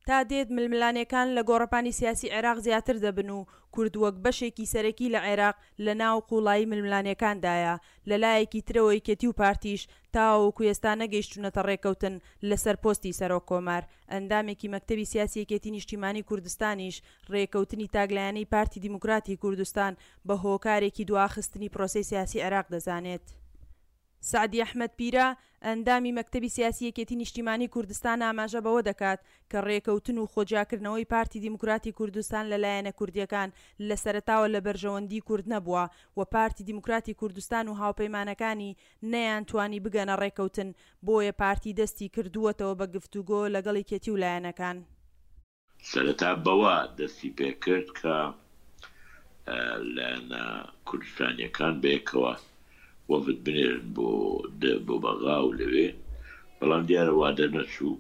تا دێت ململانێکان لە گۆڕەپانی سیاسی عێراق زیاتر دەبن و کورد وەک بەشێکی سەرەکی لە عێراق لە ناو قوڵایی ململانێکاندایە، لە لایەکی ترەوە یەکێتی و پارتیش تاوەکو ئێستا نەگەیشتوونەتە ڕێککەوتن لەسەر پۆستی سەرۆک کۆمار، ئەندامێکی مەکتەبی سیاسی یەکێتی نیشتیمانی کوردستانیش ڕێککەوتنی تاکلایەنەی پارتی دیموکراتی کوردستان بە هۆکارێکی دواخستنی پرۆسەی سیاسی عێراق دەزانێت. سەعدی ئەحمەد پیرە، ئەندامی مەکتەبی سیاسی یەکێتی نیشتیمانی کوردستان ئاماژە بەوە دەکات کە رێکەوتن و خۆجیاکردنەوەی پارتی دیموکراتی کوردستان لە لایەنە کوردیەکان لە سەرەتاوە لە بەرژەوەندی کورد نەبووە و پارتی دیموکراتی کوردستان و هاوپەیمانەکانی نەیانتوانی بگەنە رێکەوتن بۆیە پارتی دەستی کردووەتەوە بە گفتوگۆ لەگەڵ یەکێتی و لایەنەکان. سەرەتا بەوە دەستی پێکرد کە لایەنە کوردستانییەکان بەیەکەوە وەفد بنێرن بۆ بۆ بەغا و لەوێ، بەڵام دیارە وا دەرنەچوو.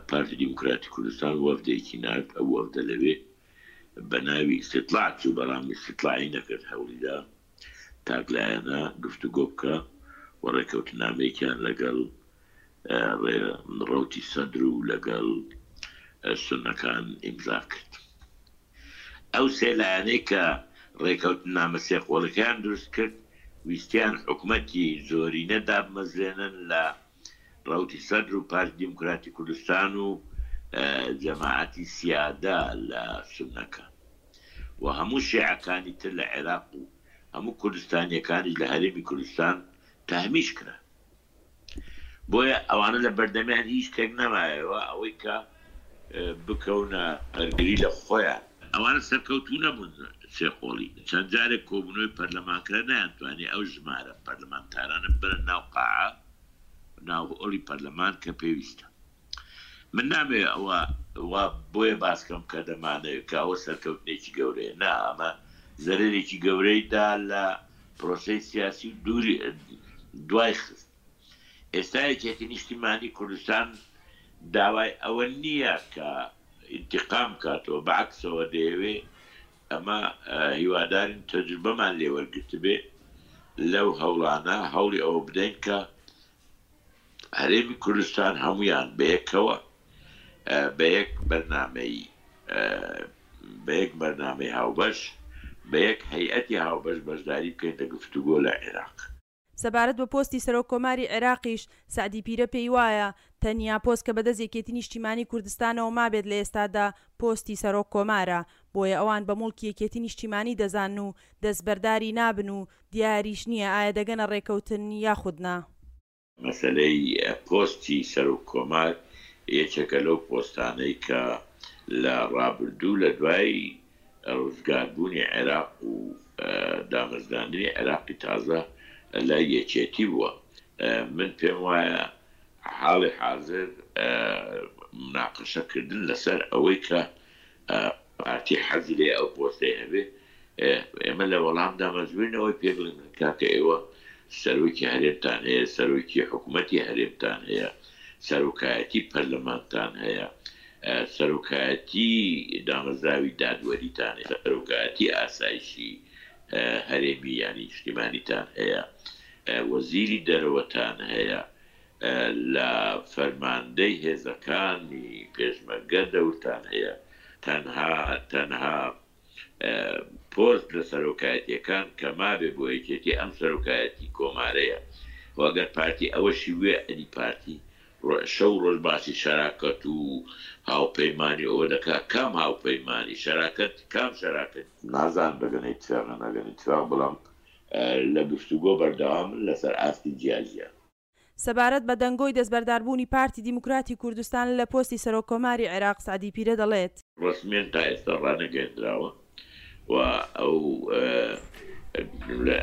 پارتی دیموکراتی کوردستان وەفدێکی نارد، ئەو وەفدە لەوێ بە ناوی ئیستیتلاع چوو، بەڵام ئیستیتلاعی نەکرد، هەوڵیدا تاکلایەنە گفتوگۆ بکا و ڕێککەوتننامەیەکیان لەگەڵ ڕەوتی سەدر و لەگەڵ سوننەکان ئیمزا کرد. ئەو سێ لایەنەی کە ڕێکەوتننامە سێقۆڵیەکەیان دروست کرد، ویستیان حکومەتی زۆرینە دابمەزرێنن لە ڕەوتی سەدر و پارتی دیموکراتی کوردستان و جەماعەتی سیادە لە سوننەکان و هەموو شیعەکانی تر لە عێراق و هەموو کوردستانیەکانیش لە هەرێمی کوردستان تەهمیش کران. بۆیە ئەوانە لە بەردەمیان هیچ شتێک نەمایەوە ئەوەی کە بکەونە بەرگری لە خۆیان. ئەوانە سەرکەوتوو نەبوون سێقۆڵی چەند جارێک کۆبوونەوەی پەرلەمان کرا نەیانتوانی ئەو ژمارە پەرلەمانتارانە ببەنە ناو قاعە ناو هۆڵی پەرلەمان کە پێویستە. من نامەوێ ئەوە وا بۆیە باس کەم کە دەمانەوێ کە ئەوە سەرکەوتنێکی گەورەیە، نا ئەمە زەرەرێکی گەورەی دا لە پرۆسەی سیاسی و دووری دوای خست. ئێستا یەکێتی نیشتیمانی کوردستان داوای ئەوە نییە کە ئینتیقام بکاتەوە، بە عەکسەوە دەیەوێ ئەمە هیوادارین تەجروبەمان لێ وەرگرتبێ لەو هەوڵانە، هەوڵی ئەوە بدەین کە هەرێمی کوردستان هەموویان بەیەکەوە بە یەک بەرنامەی بە یەک بەرنامەی هاوبەش بە یەک هەیئەتی هاوبەش بەشداری بکەین لە گفتوگۆ لە عێراق. سەبارەت بە پۆستی سەرۆک کۆماری عێراقیش، سەعدی پیرە پێی وایە، تەنیا پۆست کە بەدەست یەکێتی نیشتیمانی کوردستانەوە مابێت لە ئێستادا پۆستی سەرۆک کۆمارە، بۆیە ئەوان بە موڵکی یەکێتی نیشتیمانی دەزانن و دەستبەرداری نابن و دیاریش نییە ئایا دەگەنە ڕێکەوتن یاخود نا. مەسەلەی پۆستی سەرۆک کۆمار یەکێکە لەو پۆستانەی کە لە ڕابردوو لە دوای ڕزگاربوونی عێراق و دامەزراندنی عێراقی تازە لای یەکێتی بووە. من پێم وایە حاڵی حازر موناقەشە کردن لەسەر ئەوەی کە پارتی حەزی لێیە ئەو پۆستەی هەبێ، ئێمە لە وەڵامدا مەجبورین ئەوەی پێ بڵێین کاکە ئێوە سەرۆکی هەرێمتان هەیە، سەرۆکی حکومەتی هەرێمتان هەیە، سەرۆکایەتی پەرلەمانتان هەیە، سەرۆکایەتی دامەزراوی دادوەریتان هەیە، سەرۆکایەتی ئاسایشی هەرێمی یانی نیشتیمانیتان هەیە، وەزیری دەرەوەتان هەیە، لە فەرماندەی هێزەکانی پێشمەرگە دەورتان هەیە، تەنها تەنها پۆست لە سەرۆکایەتیەکان کە مابێ بۆ یەکێتی ئەم سەرۆکایەتی کۆمارەیە خۆ ئەگەر پارتی ئەوەشی بوێ ئەدی پارتی شەو ڕۆژ باسی شەراکەت و هاوپەیمانی ئەوە دەکا کام هاوپەیمانی شەراکەت کام شەراکەت؟ نازانم دەگەنە ئیتفاق یان ناگەنە ئیتفاق بەڵام لە گفتوگۆ بەردەوامن لەسەر ئاستی جیاجیا. سەبارەت بە دەنگۆی دەستبەرداربوونی پارتی دیموکراتی کوردستان لە پۆستی سەرۆککۆماری عێراق، سەعدی پیرە دەڵێت. ڕەسمیەن تا ئێستا ڕانەگەیەندراوە و ئەو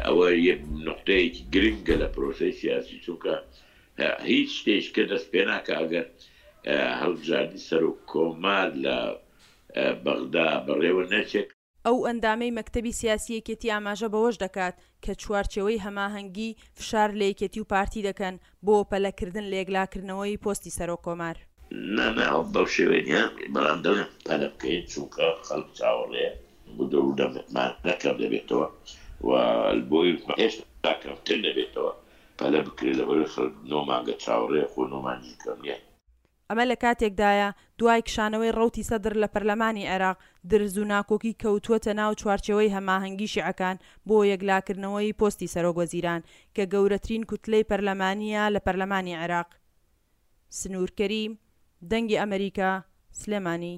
ئەوە یەک نوقتەیەکی گرنگە لە پرۆسەی سیاسی چونکە هیچ شتێک کە دەست پێ ناکا ئەگەر هەڵبژاردنی سەرۆککۆمار لە بەغدا بەڕێوە نەچێت. ئەو ئەندامەی مەکتەبی سیاسی یەکێتی ئاماژە بەوەش دەکات کە چوارچێوەی هەماهەنگی فشار لە یەکێتی و پارتی دەکەن بۆ پەلەکردن لە یەکلاکردنەوەی پۆستی سەرۆک کۆمار. نا نا بەو شێوەیە نیە، بەڵام دەڵێم پەلە بکەین چونکە خەڵک چاوەڕێیە وردە وردە متمانە کەم دەبێتەوە و بۆی هێشتا کەمتر نەبێتەوە پەلە بکرێت لەبەرئەوەی خەڵک نۆ مانگە چاوەڕێیە خۆ نۆ مانگیش کەم نیە. ئەمە لە کاتێکدایە، دوای کشانەوەی ڕەوتی سەدر لە پەرلەمانی عێراق، درز و ناکۆکی کەوتووەتە ناو چوارچێوەی هەماهەنگی شیعەکان بۆ یەکلاکردنەوەی پۆستی سەرۆکوەزیران، کە گەورەترین کوتلەی پەرلەمانییە لە پەرلەمانی عێراق. سنوور کەریم، دەنگی ئەمەریکا، سلێمانی.